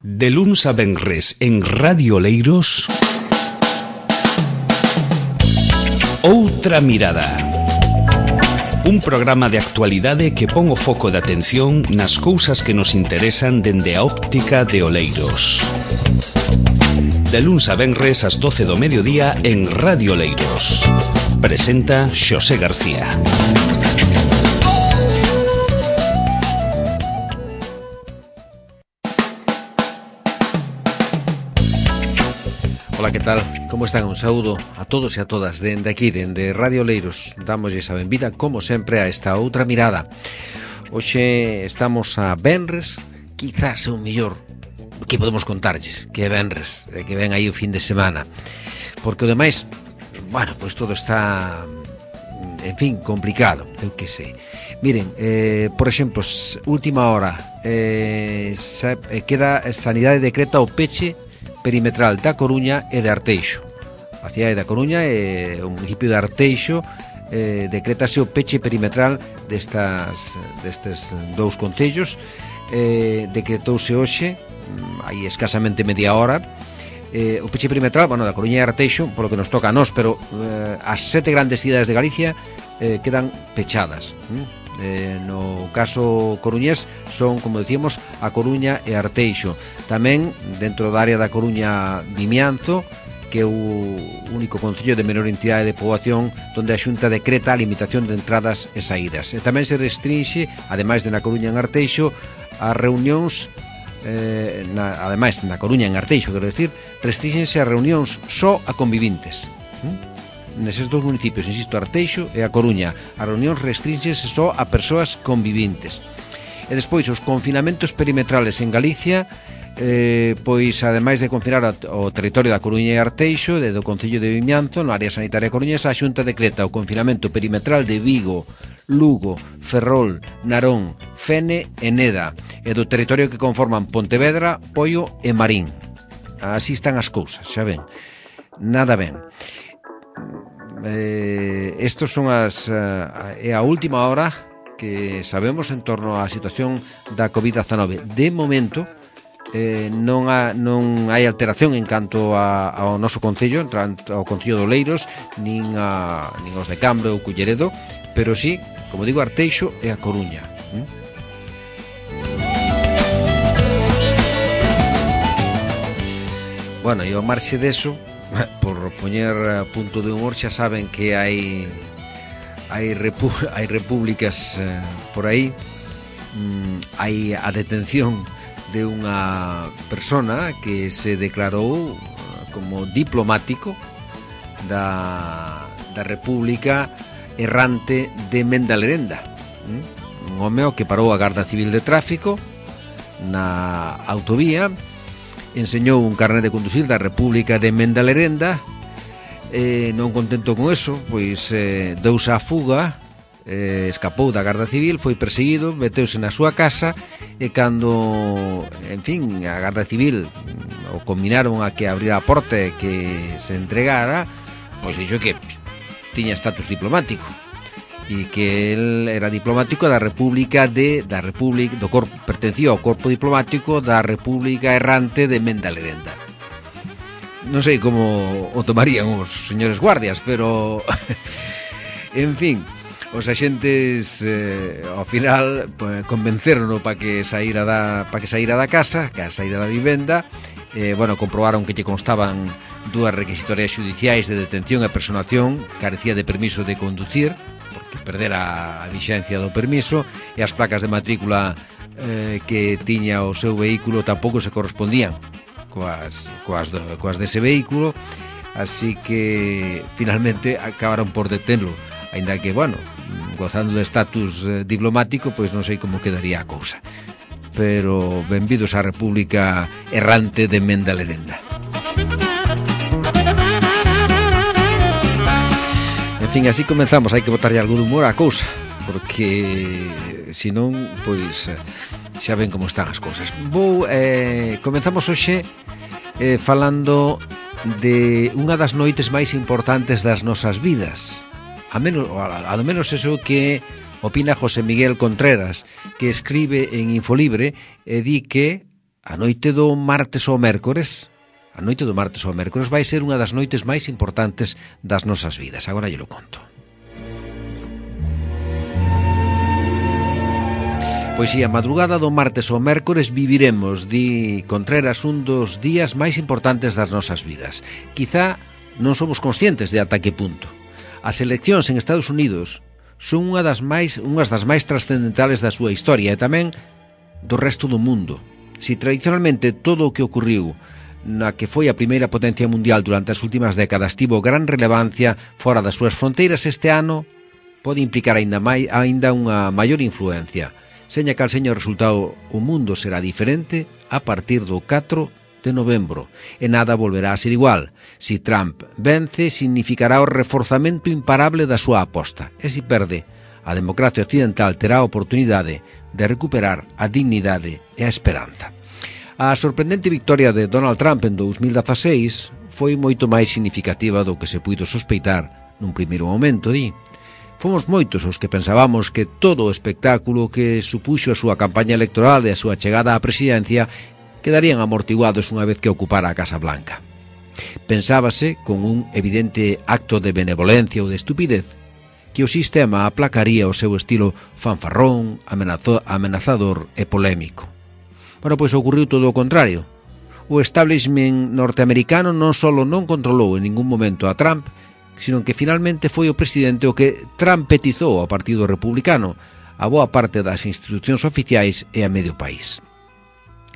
De luns a venres en Radio Oleiros, Outra Mirada. Un programa de actualidade que pon o foco de atención nas cousas que nos interesan dende a óptica de Oleiros. De luns a venres ás 12 do mediodía en Radio Oleiros. Presenta Xosé García. Ola, que tal? Como están? Un saúdo a todos e a todas dende aquí, dende Radio Oleiros. Dámoslle a benvida, como sempre, a esta outra mirada. Hoxe estamos a venres, quizás o mellor que podemos contarlles, que é venres, que ven aí o fin de semana. Porque o demais, bueno, pois todo está, en fin, complicado, eu que sei. Miren, por exemplo, última hora, queda Sanidade decreta o peche perimetral da Coruña e de Arteixo. A cidade da Coruña e o municipio de Arteixo decretase o peche perimetral destes dous concellos. Decretouse hoxe, hai escasamente media hora, o peche perimetral, bueno, da Coruña e Arteixo, polo que nos toca a nós, pero as 7 grandes cidades de Galicia quedan pechadas. No caso coruñés son, como decíamos, a Coruña e Arteixo. Tamén dentro da área da Coruña, Vimianzo, que é o único concello de menor entidade de poboación onde a Xunta decreta a limitación de entradas e saídas. E tamén se restrinxe, ademais de na Coruña e en Arteixo, as reunións, ademais na Coruña e en Arteixo, quero decir, restrínxense as reunións só a convivintes. Neses dous municipios, insisto, Arteixo e a Coruña, as reunións restrínxense só a persoas convivintes. E despois, os confinamentos perimetrales en Galicia, pois, ademais de confinar o territorio da Coruña e Arteixo, do concello de Vimianzo, no área sanitaria coruñesa, a Xunta decreta o confinamento perimetral de Vigo, Lugo, Ferrol, Narón, Fene e Neda, e do territorio que conforman Pontevedra, Poio e Marín. Así están as cousas, xa ven. Nada ben. Estos son a última hora que sabemos en torno á situación da COVID-19. De momento non hai alteración en canto ao noso concello, ao concello de Oleiros, nin aos de Cambre ou Culleredo, pero sí, como digo, Arteixo e a Coruña. Bueno, e ao marxe deso, por poñer punto de humor, xa saben que hai repúblicas por aí. Hai a detención de unha persona que se declarou como diplomático da República Errante de Mendalerenda. Un home que parou a Garda Civil de Tráfico na autovía, enseñou un carnet de conducir da República de Mendalerenda. Non contento con eso, pois deuse a fuga, escapou da Garda Civil, foi perseguido, meteuse na súa casa, e cando, en fin, a Garda Civil o combinaron a que abrira a porta e que se entregara, pois dixo que tiña estatus diplomático e que el era diplomático da República pertencía ao corpo diplomático da República Errante de Mendalerenda. Non sei como o tomarían os señores guardias, pero en fin, os axentes ao final convencerono para que saíra da casa, que saíra da vivenda. Bueno, comprobaron que lle constaban 2 requisitorias xudiciais de detención e personación, carecía de permiso de conducir, porque perdera a vixencia do permiso, e as placas de matrícula que tiña o seu vehículo tampouco se correspondían coas dese vehículo, así que finalmente acabaron por detenlo, aínda que, bueno, gozando de estatus diplomático, pois non sei como quedaría a cousa. Pero benvidos á República Errante de Mendalerenda. En fin, así comenzamos. Hai que botarlle algo de humor á cousa, porque senón, pois, xa ven como están as cousas. Comenzamos hoxe falando de unha das noites máis importantes das nosas vidas. A lo menos eso que opina José Miguel Contreras, que escribe en Infolibre e di que a noite do martes ao mércores vai ser unha das noites máis importantes das nosas vidas. Agora lle lo conto. Pois si, a madrugada do martes ao mércores viviremos, di Contreras, un dos días máis importantes das nosas vidas. Quizá non somos conscientes de ata que punto. As eleccións en Estados Unidos son unhas das máis trascendentales da súa historia e tamén do resto do mundo. Si tradicionalmente todo o que ocorriu na que foi a primeira potencia mundial durante as últimas décadas tivo gran relevancia fora das súas fronteiras, este ano pode implicar aínda unha maior influencia. Seña cal seña o resultado, o mundo será diferente a partir do 4 de novembro e nada volverá a ser igual. Si Trump vence, significará o reforzamento imparable da súa aposta, e si perde, a democracia occidental terá a oportunidade de recuperar a dignidade e a esperanza. A sorprendente victoria de Donald Trump en 2016 foi moito máis significativa do que se puido sospeitar nun primeiro momento, di. Fomos moitos os que pensábamos que todo o espectáculo que supuxo a súa campaña electoral e a súa chegada á presidencia quedarían amortiguados unha vez que ocupara a Casa Blanca. Pensábase, con un evidente acto de benevolencia ou de estupidez, que o sistema aplacaría o seu estilo fanfarrón, amenazador e polémico. Bueno, pois ocorreu todo o contrario. O establishment norteamericano non só non controlou en ningún momento a Trump, sino que finalmente foi o presidente o que trumpetizou ao Partido Republicano, a boa parte das institucións oficiais e a medio país.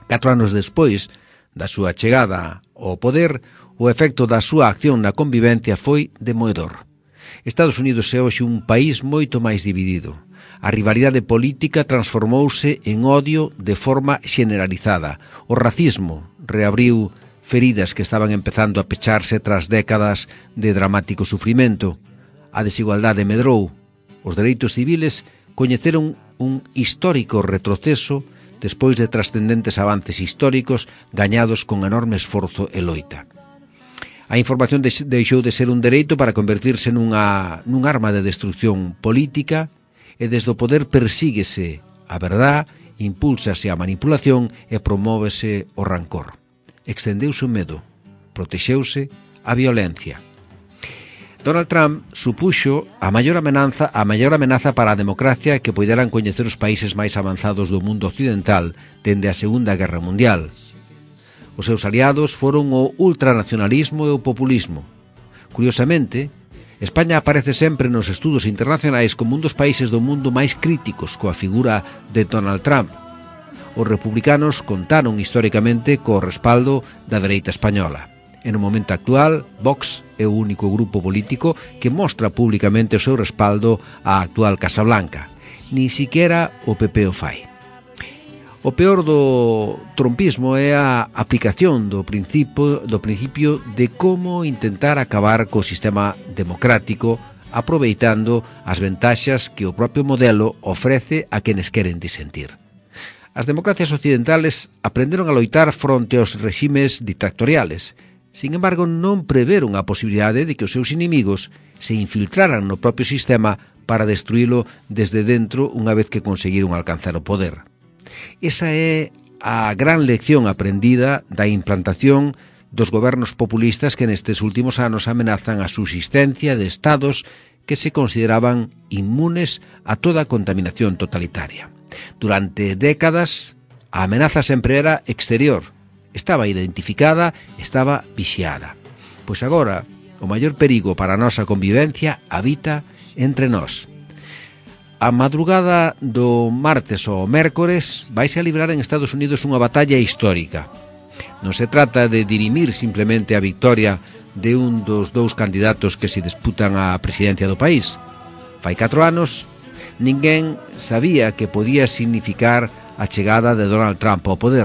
4 anos despois da súa chegada ao poder, o efecto da súa acción na convivencia foi demoedor. Estados Unidos é hoxe un país moito máis dividido. A rivalidade política transformouse en odio de forma generalizada. O racismo reabriu feridas que estaban empezando a pecharse tras décadas de dramático sufrimento. A desigualdade medrou. Os dereitos civiles coñeceron un histórico retroceso despois de trascendentes avances históricos gañados con enorme esforzo e loita. A información deixou de ser un dereito para convertirse nun arma de destrucción política e desde o poder persíguese a verdad, impúlsase a manipulación e promóvese o rancor. Extendeuse o medo, protexeuse a violencia. Donald Trump supuxo a maior amenaza para a democracia que poideran coñecer os países máis avanzados do mundo occidental dende a Segunda Guerra Mundial. Os seus aliados foron o ultranacionalismo e o populismo. Curiosamente, España aparece sempre nos estudos internacionais como un dos países do mundo máis críticos coa figura de Donald Trump. Os republicanos contaron históricamente co respaldo da dereita española. E no momento actual, Vox é o único grupo político que mostra públicamente o seu respaldo á actual Casa Blanca. Ni siquiera o PP o fai. O peor do trumpismo é a aplicación do principio de como intentar acabar co sistema democrático aproveitando as ventaxas que o propio modelo ofrece a quenes queren disentir. As democracias occidentales aprenderon a loitar fronte aos reximes dictatoriales. Sin embargo, non preveron a posibilidade de que os seus inimigos se infiltraran no propio sistema para destruílo desde dentro unha vez que conseguiron alcanzar o poder. Esa é a gran lección aprendida da implantación dos gobernos populistas que nestes últimos anos amenazan a subsistencia de estados que se consideraban inmunes a toda contaminación totalitaria. Durante décadas, a amenaza sempre era exterior. Estaba identificada, estaba vixiada. Pois agora, o maior perigo para a nosa convivencia habita entre nós. A madrugada do martes ao mércores vaise a librar en Estados Unidos unha batalla histórica. Non se trata de dirimir simplemente a victoria de un dos dous candidatos que se disputan a presidencia do país. Fai 4 anos, ninguén sabía que podía significar a chegada de Donald Trump ao poder.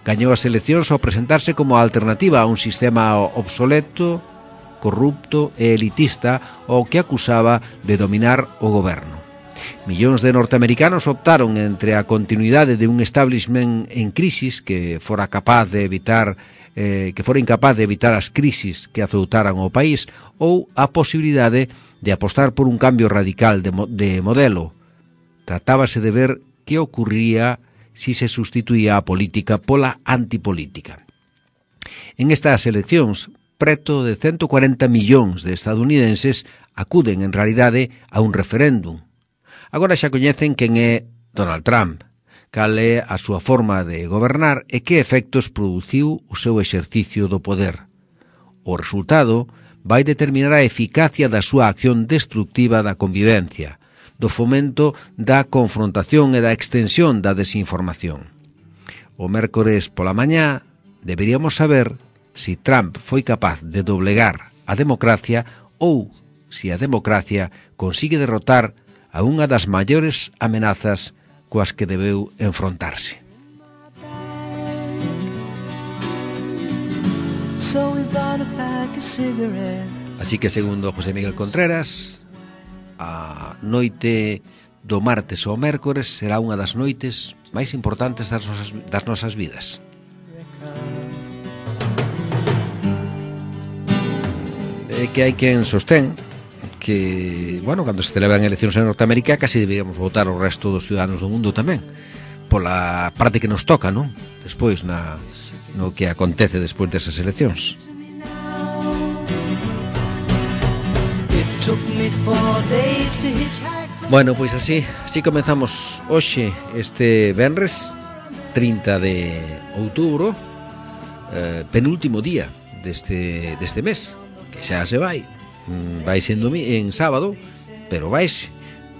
Gañou as eleccións ao presentarse como alternativa a un sistema obsoleto, corrupto e elitista ao que acusaba de dominar o goberno. Millóns de norteamericanos optaron entre a continuidade de un establishment en crisis que fora incapaz de evitar as crisis que azoutaran o país ou a posibilidade de apostar por un cambio radical de modelo. Tratábase de ver que ocurría si se sustituía a política pola antipolítica. En estas eleccións, preto de 140 millóns de estadounidenses acuden en realidade a un referéndum. Agora xa coñecen quen é Donald Trump, cal é a súa forma de gobernar e que efectos produciu o seu exercicio do poder. O resultado vai determinar a eficacia da súa acción destructiva da convivencia, do fomento da confrontación e da extensión da desinformación. O mércores pola mañá deberíamos saber si Trump foi capaz de doblegar a democracia ou si a democracia consigue derrotar a unha das maiores amenazas coas que debeu enfrontarse. Así que, segundo José Miguel Contreras, a noite do martes ao mércores será unha das noites máis importantes das nosas vidas. Que hai quen sostén que, bueno, cando se celebran eleccións en Norteamérica casi deberíamos votar o resto dos ciudadanos do mundo tamén, pola parte que nos toca, non? Despois, no que acontece despois desas eleccións. Bueno, pois así comezamos hoxe este venres 30 de outubro, penúltimo día deste mes, que xa se vai sendo en sábado, pero vaise,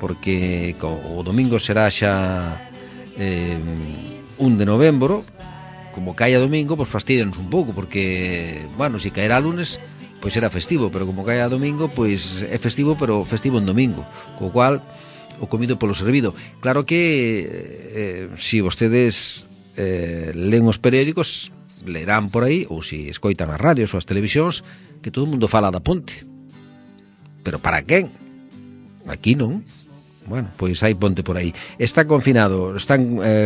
porque o domingo será xa 1 de novembro. Como caia domingo, pois fastidianos un pouco, porque, bueno, se caerá lunes, pois será festivo, pero como caia domingo, pois é festivo, pero festivo en domingo, co cual o comido polo servido. Claro que se vostedes len os periódicos, lerán por aí, ou se escoitan as radios ou as televisións, que todo o mundo fala da ponte. Pero para quen? Aquí non. Bueno, pois hai ponte por aí. Están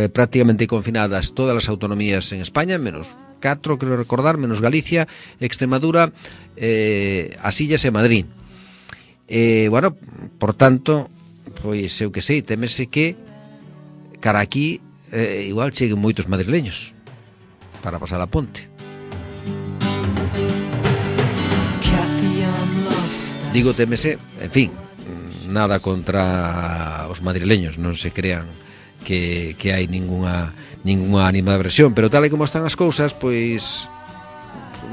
prácticamente confinadas todas as autonomías en España, menos 4, creo recordar, menos Galicia, Extremadura, as Illas e Madrid. Bueno, por tanto, pois eu que sei, temese que cara aquí igual cheguen moitos madrileños para pasar a ponte. Digo temese, en fin, nada contra os madrileños, non se crean que hai ninguna animadversión, pero tal e como están as cousas, pois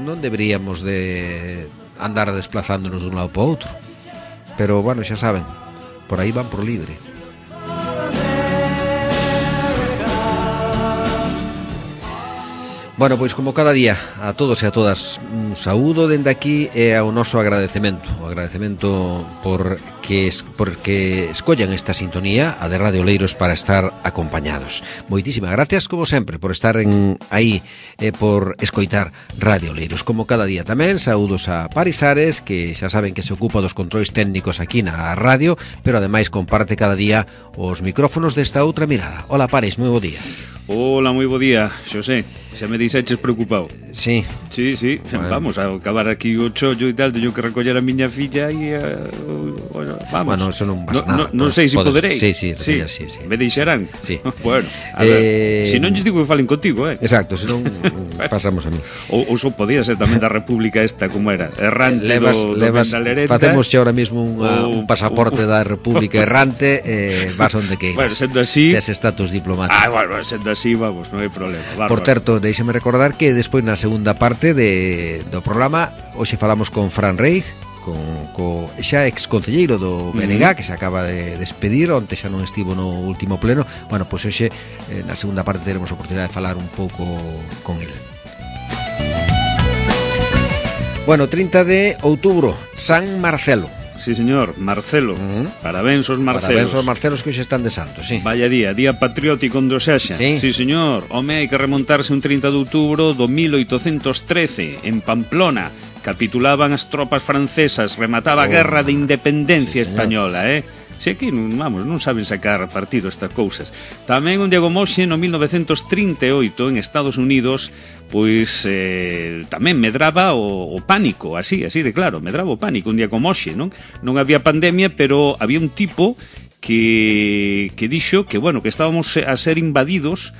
non deberíamos de andar desplazándonos dun lado para outro. Pero, bueno, xa saben, por aí van por libre. Bueno, pois como cada día, a todos e a todas, un saúdo dende aquí e ao noso agradecemento. O agradecemento porque escollan esta sintonía, a de Radio Oleiros, para estar acompañados. Moitísimas gracias, como sempre, por estar aí e por escoitar Radio Oleiros. Como cada día tamén, saúdos a Paris Ares, que xa saben que se ocupa dos controis técnicos aquí na radio, pero ademais comparte cada día os micrófonos desta outra mirada. Hola, Paris, moi bo día. Hola, moi bo día, Xosé. Xa me dixeches preocupado. Sí. Sí. Bueno. Vamos a acabar aquí o chollo e tal, teño que recoller a miña filla e bueno, vamos. Bueno, eso non pasa nada. Non sei se poderei. Sí. Me deixarán. Sí. Bueno, a ver, se non lles digo que falen contigo, Exacto, se non pasamos a mí. Ou só podía ser tamén da República esta, como era, errante do Vendalereta. Facemos xa ahora mismo un pasaporte da República errante, vas onde queiras. Bueno, sendo así, des estatus diplomático. Bueno, sendo así, vamos, non hai problema. Por certo, deixeme recordar que despois na segunda parte do programa hoxe falamos con Fran Reiz, co xa exconcelleiro do BNG, que se acaba de despedir, onte xa non estivo no último pleno. Bueno, pois hoxe na segunda parte teremos a oportunidade de falar un pouco con el. Bueno, 30 de outubro, San Marcelo. Sí, señor, Marcelo. Parabéns aos Marcelos. Parabéns aos Marcelos que hoxe están de santo, sí. Vaya día patriótico onde o sexa. Sí, señor. Home, hai que remontarse un 30 de outubro do 1813, en Pamplona. Capitulaban as tropas francesas, remataba a guerra de independencia española, Se aquí, vamos, non saben sacar partido estas cousas. Tamén un día como hoxe, no 1938, en Estados Unidos, pois tamén medraba o pánico, así de claro, medraba o pánico un día como hoxe, non? Non había pandemia, pero había un tipo que dixo que, bueno, que estábamos a ser invadidos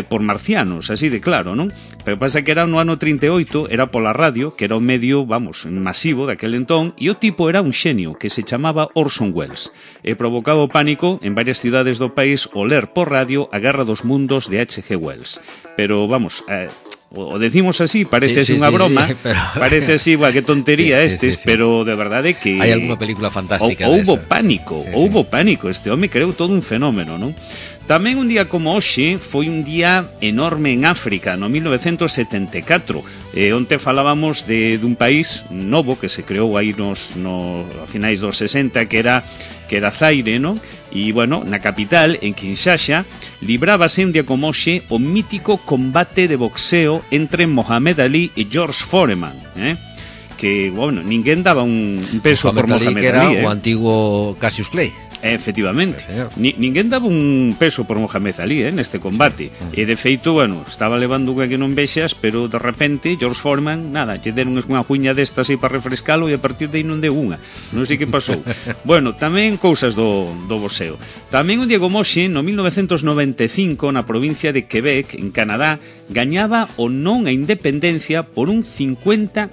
por marcianos, así de claro, non? Pero pasa que era no ano 38, era pola radio, que era o medio, vamos, masivo daquel entón, e o tipo era un xenio que se chamaba Orson Welles, e provocaba o pánico en varias cidades do país o ler por radio A Guerra dos Mundos de H.G. Wells. Pero, vamos, o decimos así, parece así unha broma, pero... parece así, que tontería estes, pero de verdade que... Hai alguna película fantástica houbo pánico, houbo pánico, este home creou todo un fenómeno, non? Tamén un día como hoxe foi un día enorme en África, no 1974. Onte falábamos dun país novo que se creou aí a finais dos 60, que era Zaire, non? E, bueno, na capital, en Kinshasa, librábase un día como hoxe o mítico combate de boxeo entre Mohamed Ali e George Foreman, que, bueno, ninguén daba un peso por Mohamed Ali, que era o antigo Cassius Clay. Efectivamente, ninguén daba un peso por Mohamed Ali neste combate. E de feito, bueno, estaba levando unha que non vexas, pero de repente George Foreman, nada, lle deron unha cuña destas aí para refrescalo e a partir de aí non deu unha. Non sei que pasou. Bueno, tamén cousas do boxeo. Tamén un día como hoxe, no 1995, na provincia de Quebec, en Canadá, gañaba o non a independencia por un 50,4%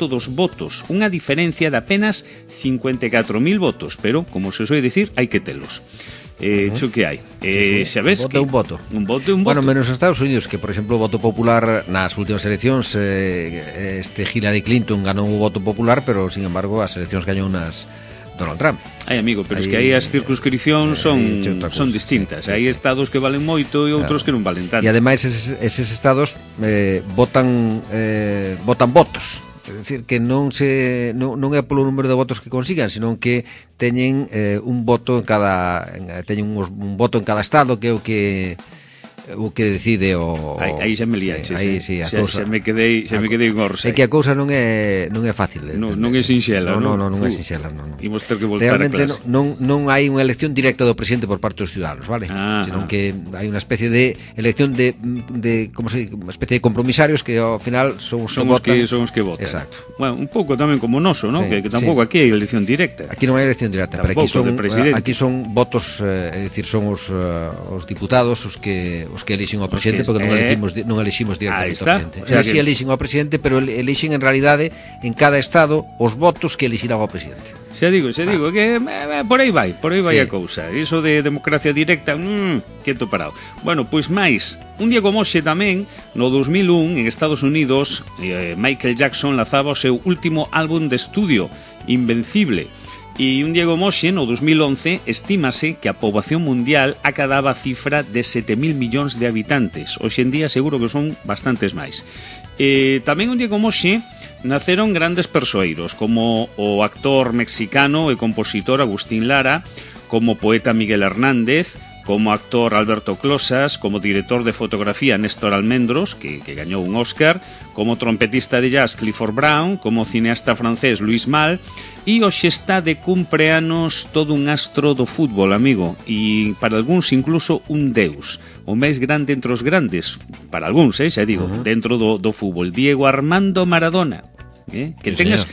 dos votos, unha diferencia de apenas 54.000 votos, pero, como se soe dicir, hai que telos. Cho que hai. Xa ves que... Un voto. Bueno, menos os Estados Unidos, que, por exemplo, o voto popular nas últimas eleccións, Hillary Clinton ganou o voto popular, pero, sin embargo, as eleccións gañou nas Donald Trump. Ai, amigo, pero es que aí as circunscripcións son distintas. Hai estados que valen moito e outros que non valen tanto. E ademais eses estados votan votos. É dicir, que non é polo número de votos que consigan, senón que teñen un voto en cada estado, que é o que decide o... Aí xa me liaches. Aí, sí, xa me quedei en orsa. É que a cousa non é fácil. Non é sinxela, non? Non é sinxela, non. Imos ter que voltar a clase. Realmente non hai unha elección directa do presidente por parte dos ciudadanos, vale? Senón que hai unha especie de elección de como se dice, unha especie de compromisarios que ao final son os que votan. Son os que votan. Exacto. Bueno, un pouco tamén como noso, non? Que tampouco aquí hai elección directa. Aquí non hai elección directa, pero aquí son votos, é dicir, son os diputados os que elixen ao presidente, porque non eliximos directamente ao presidente. Si elixen ao presidente, pero elixen en realidade en cada estado os votos que elixirán ao presidente. Xa digo que por aí vai a cousa. Iso de democracia directa, quieto parado. Bueno, pois máis, un día como hoxe tamén, no 2001, en Estados Unidos, Michael Jackson lanzaba o seu último álbum de estudio, Invencible. E un día como hoxe, no 2011, estímase que a poboación mundial acadaba a cifra de 7.000 millóns de habitantes. Hoxe en día seguro que son bastantes máis. Tamén un día como hoxe naceron grandes persoeiros, como o actor mexicano e compositor Agustín Lara, como poeta Miguel Hernández, como actor Alberto Closas, como director de fotografía Néstor Almendros, que gañou un Oscar, como trompetista de jazz Clifford Brown, como cineasta francés Louis Malle, e hoxe está de cumpleanos todo un astro do fútbol, amigo, e para algúns incluso un deus, o máis grande entre os grandes, para algúns, xa digo, dentro do fútbol, Diego Armando Maradona. Que tengas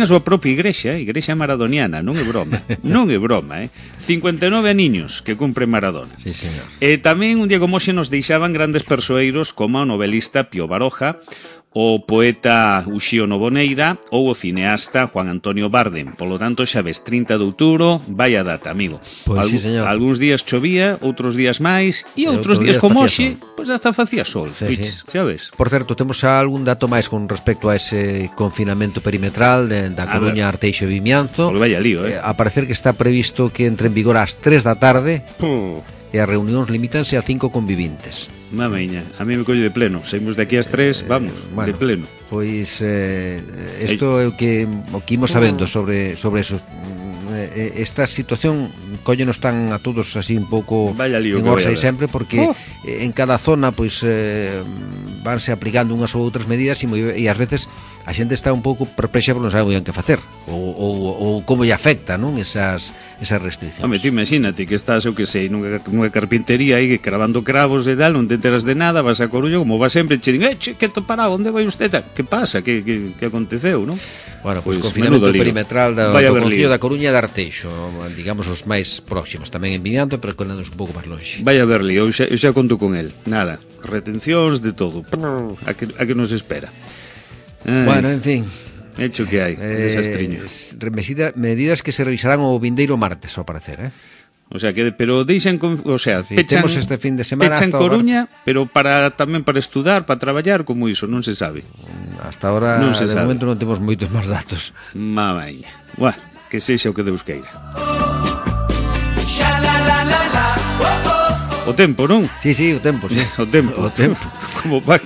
a súa propia igrexa maradoniana, non é broma. 59 aniños que cumpre Maradona. Sí, señor. Tamén un día como hoxe nos deixaban grandes persoeiros como o novelista Pío Baroja, o poeta Uxío Novoneira ou o cineasta Juan Antonio Bardem. Polo tanto, xa ves, 30 de outubro, vai a data, amigo. Pois sí, señor. Algúns días chovía, outros días máis, e outros días como hoxe, pois hasta facía sol, xa ves. Por certo, temos algún dato máis con respecto a ese confinamento perimetral da Coruña, Arteixo e Vimianzo. Vaya lío, A parecer que está previsto que entre en vigor ás 3 da tarde e as reunións limítanse a 5 convivintes. Mameña, a mí me colle de pleno. Saímos de aquí ás 3, vamos, de pleno. Pois isto é o que imos sabendo sobre eso. Esta situación cóllenos tan a todos así un pouco en orsa e sempre, porque en cada zona pois vanse aplicando unhas ou outras medidas e ás veces a xente está un pouco perplexa porque non sabe moi ben que facer ou como lle afecta, non, esas restriccións. Home, tú imagínate que estás, eu que sei, nunha carpintería aí cravando cravos e tal, non te enteras de nada, vas a Coruña, como vas sempre, che din, que topará, onde vai usted? Que pasa? Que aconteceu, non? Bueno, pois confinamento perimetral do Concello da Coruña e de Arteixo, digamos os máis próximos, tamén en Vimianto, pero coléndonos un pouco máis longe. Vai a verli, eu xa conto con el, nada, retencións de todo, a que nos espera. Bueno, en fin, hecho que hai, desastriño. Medidas que se revisarán o vindeiro martes, ao parecer, O sea, pero deixan, o sea, sí, temos este fin de semana pechan Coruña, pero tamén para estudar, para traballar, como iso, non se sabe. Hasta ahora, de momento non temos moitos máis datos. Mamaña. Bueno, que sexa o que Deus queira. O tempo, non? Sí, o tempo, sí. O tempo.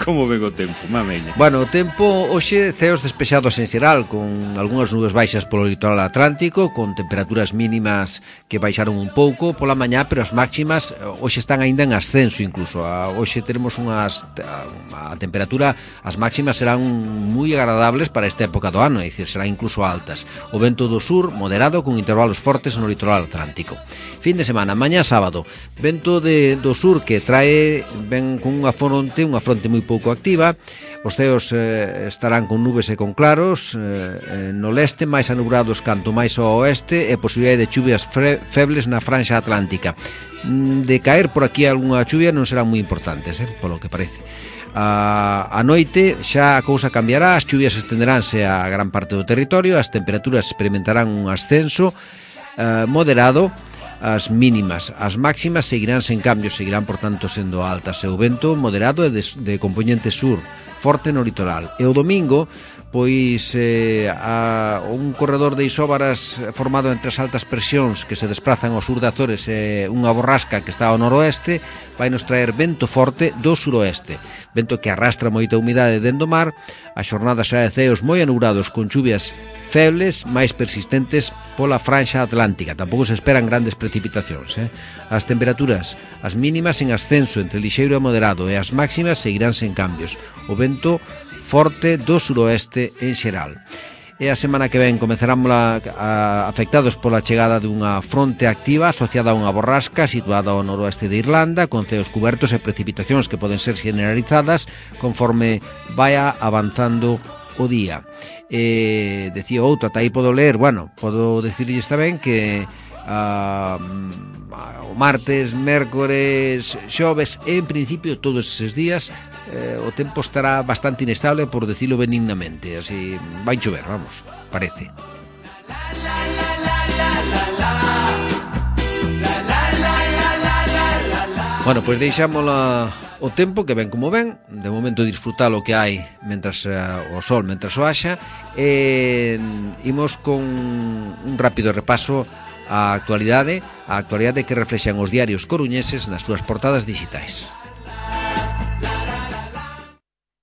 Como ven o tempo, mameña. Bueno, o tempo hoxe ceos despexados en xeral, con algunhas nubes baixas polo litoral atlántico, con temperaturas mínimas que baixaron un pouco pola mañá, pero as máximas hoxe están aínda en ascenso incluso. Hoxe teremos a temperatura, as máximas serán moi agradables para esta época do ano, é dicir, serán incluso altas. O vento do sur moderado con intervalos fortes no litoral atlántico. Fin de semana, mañá sábado, vento do sur que ven con unha fronte moi pouco activa. Os ceos estarán con nubes e con claros no leste, máis anubrados canto máis ao oeste, e posibilidade de chuvias febles na franxa atlántica. De caer por aquí algunha chuvia non serán moi importantes, polo que parece. A noite xa a cousa cambiará, as chuvias estenderánse a gran parte do territorio, as temperaturas experimentarán un ascenso moderado. As mínimas, as máximas seguirán sen cambios, seguirán por tanto sendo altas, e o vento moderado e de componente sur, forte no litoral. E o domingo, pois un corredor de isóbaras formado entre as altas presións que se desplazan ao sur de Azores e unha borrasca que está ao noroeste, vai nos traer vento forte do suroeste, vento que arrastra moita humidade dentro do mar. A xornada xa de ceos moi anubrados con chuvias febles, máis persistentes pola franxa atlántica. Tampouco se esperan grandes precipitacións. As temperaturas, as mínimas en ascenso entre lixeiro e moderado, e as máximas seguirán sen cambios. O vento forte do suroeste en xeral. E a semana que ven comezarán afectados pola chegada dunha fronte activa asociada a unha borrasca situada ao noroeste de Irlanda, con ceos cubertos e precipitacións que poden ser generalizadas conforme vaya avanzando o día. Decía outro, ata aí podo ler, podo decirlles tamén que o martes, mércores, xoves, en principio todos eses días o tempo estará bastante inestable, por decirlo benignamente, así vai chover, vamos, parece. Bueno, pois deixámola o tempo que ven como ven, de momento disfrutar o que hai mentras o sol, mentras o haxa, e imos con un rápido repaso á actualidade que reflexan os diarios coruñeses nas súas portadas digitais.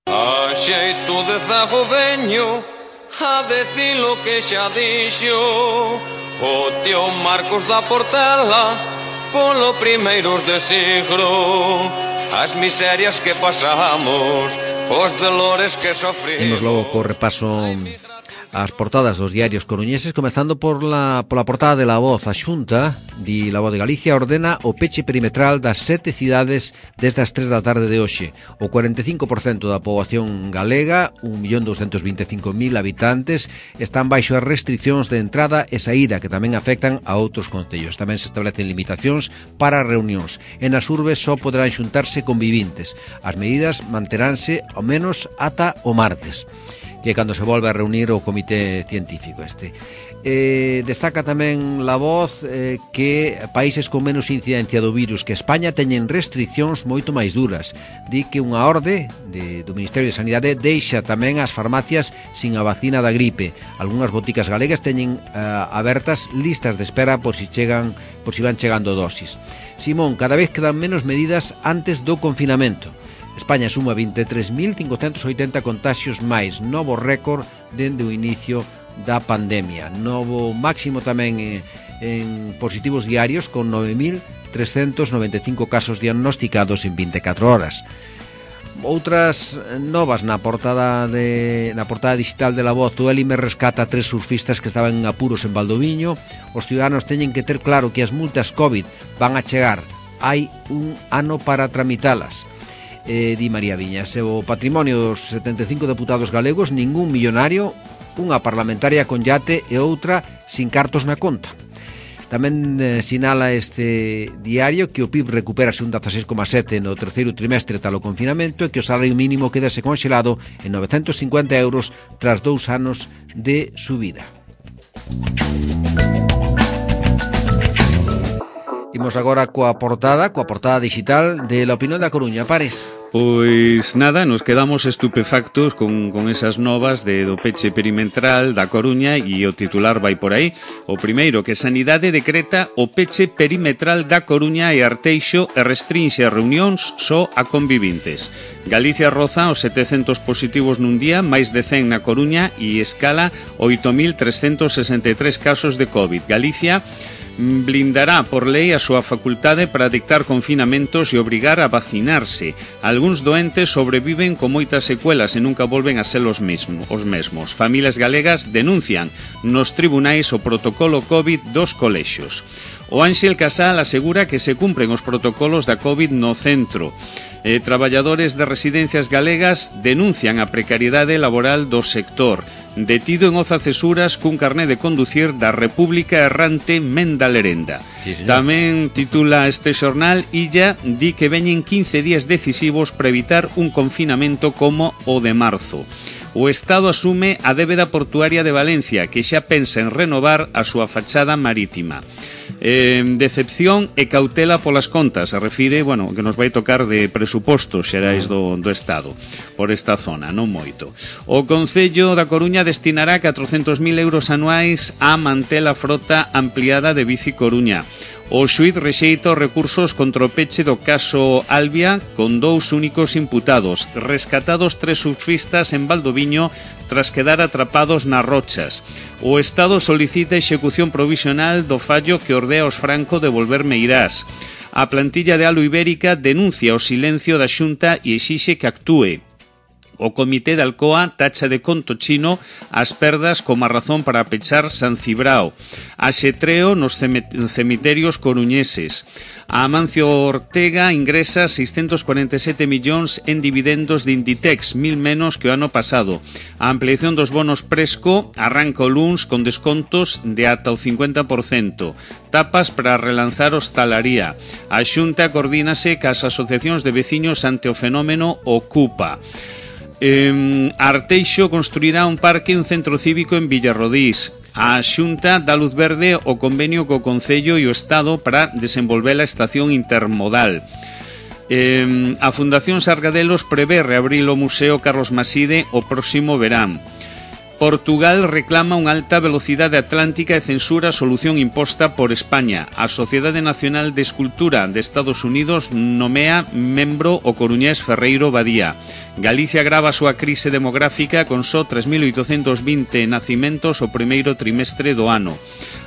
A xeito de zago veño a decir lo que xa dixo o tío Marcos da Portela polo primeiros de siglo, as miserias que pasamos, os dolores que sofrimos. Imos logo co repaso as portadas dos diarios coruñeses, comezando pola portada de La Voz. A Xunta, di La Voz de Galicia, ordena o peche perimetral das 7 cidades desde as 3 da tarde de hoxe. O 45% da poboación galega, 1.225.000 habitantes, están baixo as restriccións de entrada e saída que tamén afectan a outros concellos. Tamén se establecen limitacións para reunións. En as urbes só poderán xuntarse convivintes. As medidas manteránse ao menos ata o martes, que cando se volve a reunir o comité científico este. Destaca tamén La Voz que países con menos incidencia do virus que España teñen restriccións moito máis duras. Di que unha orde do Ministerio de Sanidade deixa tamén as farmacias sin a vacina da gripe. Algúnas boticas galegas teñen abertas listas de espera por si van chegando dosis. Simón, cada vez quedan menos medidas antes do confinamento. España suma 23.580 contaxios máis, novo récord dende o inicio da pandemia. Novo máximo tamén en positivos diarios, con 9.395 casos diagnosticados en 24 horas. Outras novas na portada digital de La Voz. O Elime rescata 3 surfistas que estaban en apuros en Valdoviño. Os ciudadanos teñen que ter claro que as multas COVID van a chegar. Hai un ano para tramitalas. Di María Viñas. O patrimonio dos 75 deputados galegos, ningún millonario, unha parlamentaria con yate e outra sin cartos na conta. Tamén sinala este diario que o PIB recupérase un 16,7 no terceiro trimestre talo confinamento e que o salario mínimo quedase conxelado en 950 euros tras 2 anos de subida. Imos agora coa portada digital de La Opinión da Coruña. Pares. Pois nada, nos quedamos estupefactos con esas novas do peche perimetral da Coruña e o titular vai por aí. O primeiro, que Sanidade decreta o peche perimetral da Coruña e Arteixo e restrinxe as reunións só a convivintes. Galicia roza os 700 positivos nun día, máis de 100 na Coruña e escala 8.363 casos de COVID. Galicia blindará por lei a súa facultade para dictar confinamentos e obrigar a vacinarse. Algúns doentes sobreviven con moitas secuelas e nunca volven a ser os mesmos. Familias galegas denuncian nos tribunais o protocolo COVID dos colexios. O Ánxel Casal asegura que se cumpren os protocolos da COVID no centro. Traballadores de residencias galegas denuncian a precariedade laboral do sector. Detido en Oza Cesuras cun carné de conducir da República Errante Menda Lerenda. Sí, tamén titula este xornal: Illa di que veñen 15 días decisivos para evitar un confinamento como o de marzo. O Estado asume a débeda portuaria de Valencia, que xa pensa en renovar a súa fachada marítima. Decepción e cautela polas contas, se refire, que nos vai tocar de presupostos xerais do Estado por esta zona, non moito. O Concello da Coruña destinará 400.000 euros anuais a manter a frota ampliada de Bici Coruña. O xuíz rexeita os recursos contra o peche do caso Albia con 2 únicos imputados, rescatados 3 surfistas en Valdoviño tras quedar atrapados nas rochas. O Estado solicita execución provisional do fallo que ordea aos Franco devolver Meirás. A plantilla de Alo Ibérica denuncia o silencio da Xunta e exixe que actúe. O Comité de Alcoa tacha de conto chino as perdas como a razón para pechar San Cibrao. Axetreo nos cemiterios coruñeses. A Amancio Ortega ingresa 647 millóns en dividendos de Inditex, 1.000 menos que o ano pasado. A ampliación dos bonos Presco arranca o luns con descontos de ata o 50%. Tapas para relanzar hostalaría. A Xunta coordínase cas asociacións de veciños ante o fenómeno Ocupa. Arteixo construirá un parque e un centro cívico en Villarrodís. A Xunta dá luz verde ao convenio co Concello e o Estado para desenvolver a estación intermodal. A Fundación Sargadelos prevé reabrir o Museo Carlos Maside o próximo verán. Portugal reclama unha alta velocidade atlántica e censura a solución imposta por España. A Sociedade Nacional de Escultura de Estados Unidos nomea membro o coruñés Ferreiro Badía. Galicia grava a súa crise demográfica con só 3.820 nacimentos o primeiro trimestre do ano.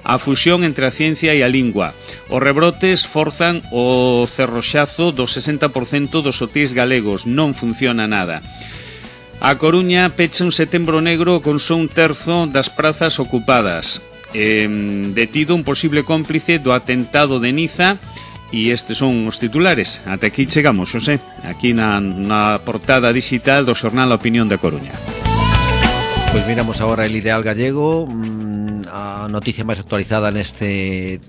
A fusión entre a ciencia e a lingua. Os rebrotes forzan o cerroxazo do 60% dos hotéis galegos. Non funciona nada. A Coruña pecha un setembro negro con só un terzo das prazas ocupadas. Detido un posible cómplice do atentado de Niza. E estes son os titulares. Ata aquí chegamos, Xosé, aquí na portada digital do xornal A Opinión da Coruña. Pois miramos agora el Ideal Gallego. A noticia máis actualizada neste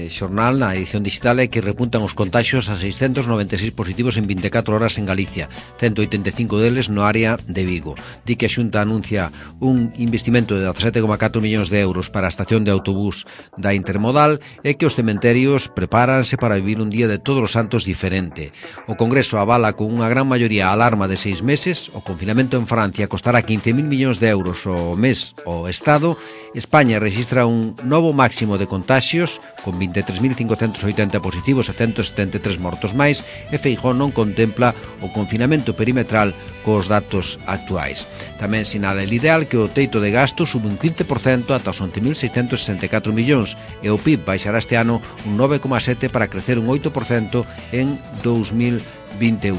xornal, na edición digital, é que repuntan os contaxios a 696 positivos en 24 horas en Galicia, 185 deles no área de Vigo. Di que a Xunta anuncia un investimento de 17,4 millóns de euros para a estación de autobús da Intermodal e que os cementerios prepáranse para vivir un día de todos os santos diferente. O Congreso avala con unha gran maioría a alarma de 6 meses, o confinamento en Francia costará 15.000 millóns de euros ao mes ao Estado. España registra un novo máximo de contaxios con 23.580 positivos e 173 mortos máis, e Feijóo non contempla o confinamento perimetral cos datos actuais. Tamén sinala el Ideal que o teito de gasto sube un 15% ata os 11.664 millóns e o PIB baixará este ano un 9,7% para crecer un 8% en 2021.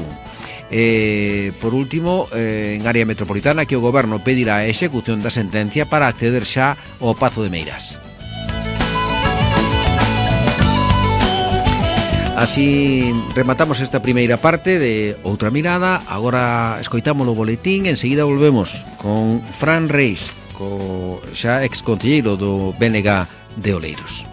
Por último, en área metropolitana, que o Goberno pedirá a execución da sentencia para acceder xa ao Pazo de Meirás. Así rematamos esta primeira parte de Outra Mirada. Agora escoitamos o boletín, enseguida volvemos con Fran Reis, co xa exconcelleiro do BNG de Oleiros.